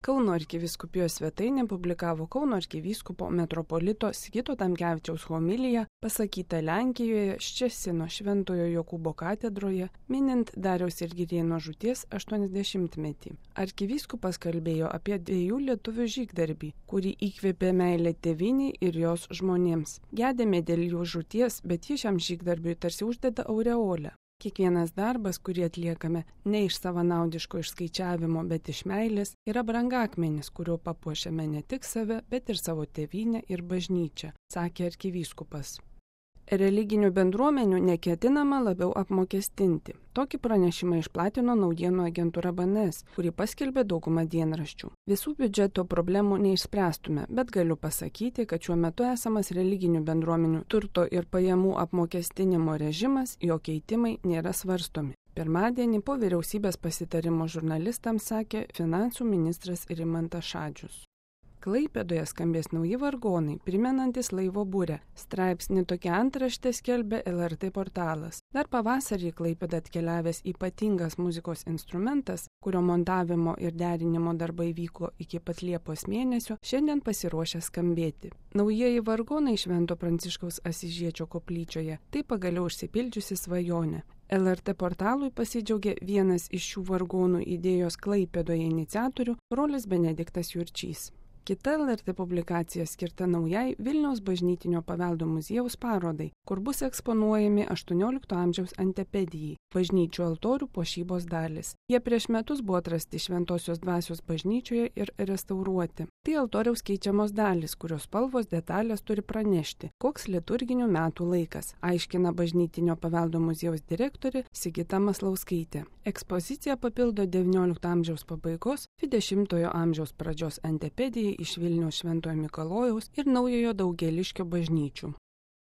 Kauno arkivyskupijos svetainė publikavo Kauno arkivyskupo metropolito Sigito Tamkevičiaus homiliją pasakytą Lenkijoje Ščecino Šventojo Jokūbo katedroje, minint Dariaus ir Girėno žūties 80-metį. Arkivyskupas kalbėjo apie 2 lietuvių žygdarbį, kurį įkvėpė meilė tėvynei ir jos žmonėms. Gedėme dėl jų žūties, bet ji šiam žygdarbiui tarsi uždeda aureolę. Kiekvienas darbas, kurį atliekame ne iš savanaudiško išskaičiavimo, bet iš meilės, yra brangakmenis, kuriuo papuošiame ne tik save, bet ir savo tėvynę ir bažnyčią, sakė arkivyskupas. Religinių bendruomenių neketinama labiau apmokestinti. Tokį pranešimą išplatino naujienų agentūra BNS, kuri paskelbė daugumą dienraščių. Visų biudžeto problemų neišspręstume, bet galiu pasakyti, kad šiuo metu esamas religinių bendruomenių turto ir pajamų apmokestinimo režimas, jo keitimai nėra svarstomi. Pirmadienį po vyriausybės pasitarimo žurnalistams sakė finansų ministras Rimantas Šadžius. Klaipėdoje skambės nauji vargonai, primenantis laivo burę. Straipsnį tokia antraštė skelbė LRT portalas. Dar pavasarį Klaipėdą atkeliavęs ypatingas muzikos instrumentas, kurio montavimo ir derinimo darbai vyko iki pat Liepos mėnesio, šiandien pasiruošę skambėti. Naujieji vargonai Švento Pranciškaus Asyžiečio koplyčioje - tai pagaliau išsipildžiusi svajonė. LRT portalui pasidžiaugė vienas iš šių vargonų idėjos Klaipėdoje iniciatorių, brolis Benediktas Jurčys. Kita LRT publikacija skirta naujai Vilniaus bažnytinio paveldo muziejaus parodai, kur bus eksponuojami 18 amžiaus antepedijai, bažnyčių altorių puošybos dalis. Jie prieš metus buvo atrasti Šventosios dvasios bažnyčioje ir restauruoti. Tai altoriaus keičiamos dalis, kurios spalvos detalės turi pranešti, koks liturginių metų laikas, aiškina bažnytinio paveldo muziejaus direktorė Sigita Maslauskaitė. Ekspozicija papildo XIX amžiaus pabaigos, XX amžiaus pradžios antepedijai iš Vilniaus Šventojo Mikalojaus ir Naujojo Daugėliškio bažnyčių.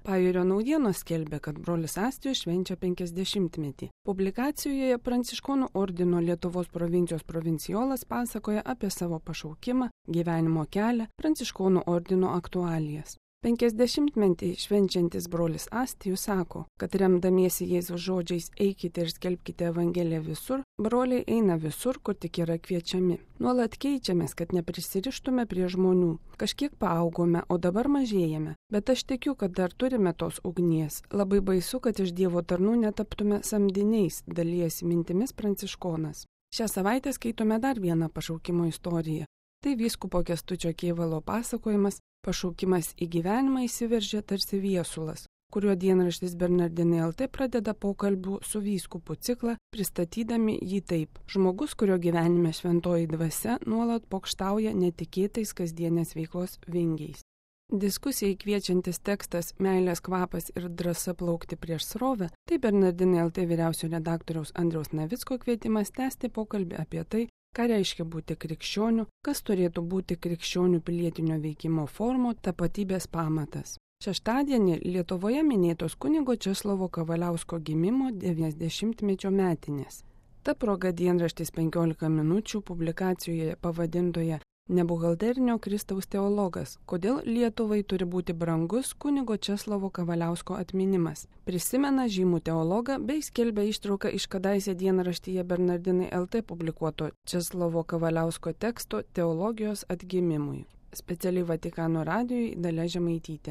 Pajūrio naujienos skelbė, kad brolis Astijus švenčia 50-metį. Publikacijoje Pranciškonų ordino Lietuvos provincijos provincijolas pasakoja apie savo pašaukimą, gyvenimo kelią, Pranciškonų ordino aktualijas. 50-metį švenčiantis brolis Astijus sako, kad remdamiesi Jėzaus žodžiais eikite ir skelbkite Evangeliją visur, broliai eina visur, kur tik yra kviečiami. Nuolat keičiamės, kad neprisirištume prie žmonių. Kažkiek paaugome, o dabar mažėjame. Bet aš tikiu, kad dar turime tos ugnies. Labai baisu, kad iš Dievo tarnų netaptume samdiniais, dalijasi mintimis Pranciškonas. Šią savaitę skaitome dar vieną pašaukimo istoriją. Tai vyskupo Kęstučio Kėvalo pasakojimas Pašaukimas į gyvenimą įsiveržė tarsi viesulas, kuriuo dienraštis Bernardinai LT pradeda pokalbių su vyskupu ciklą, pristatydami jį taip. Žmogus, kurio gyvenime šventoji dvasia nuolat pokštauja netikėtais kasdienės veiklos vingiais. Diskusijai kviečiantis tekstas Meilės kvapas ir drąsa plaukti prieš srovę, tai Bernardinai LT vyriausio redaktoriaus Andriaus Navicko kvietimas tęsti pokalbį apie tai, ką reiškia būti krikščioniu, kas turėtų būti krikščionių pilietinio veikimo formų, tapatybės pamatas. Šeštadienį Lietuvoje minėtos kunigo Česlovo Kavaliausko gimimo 90-mečio metinės. Ta proga dienraštis 15 minučių publikacijoje pavadintoje Nebuhalterinio Kristaus teologas, kodėl Lietuvai turi būti brangus kunigo Česlovo Kavaliausko atminimas. Prisimena žymų teologą bei skelbia ištrauką iš kadaise dienraštyje Bernardinai LT publikuoto Česlovo Kavaliausko teksto Teologijos atgimimui. Specialiai Vatikano radijui Dalia Žemaitytė.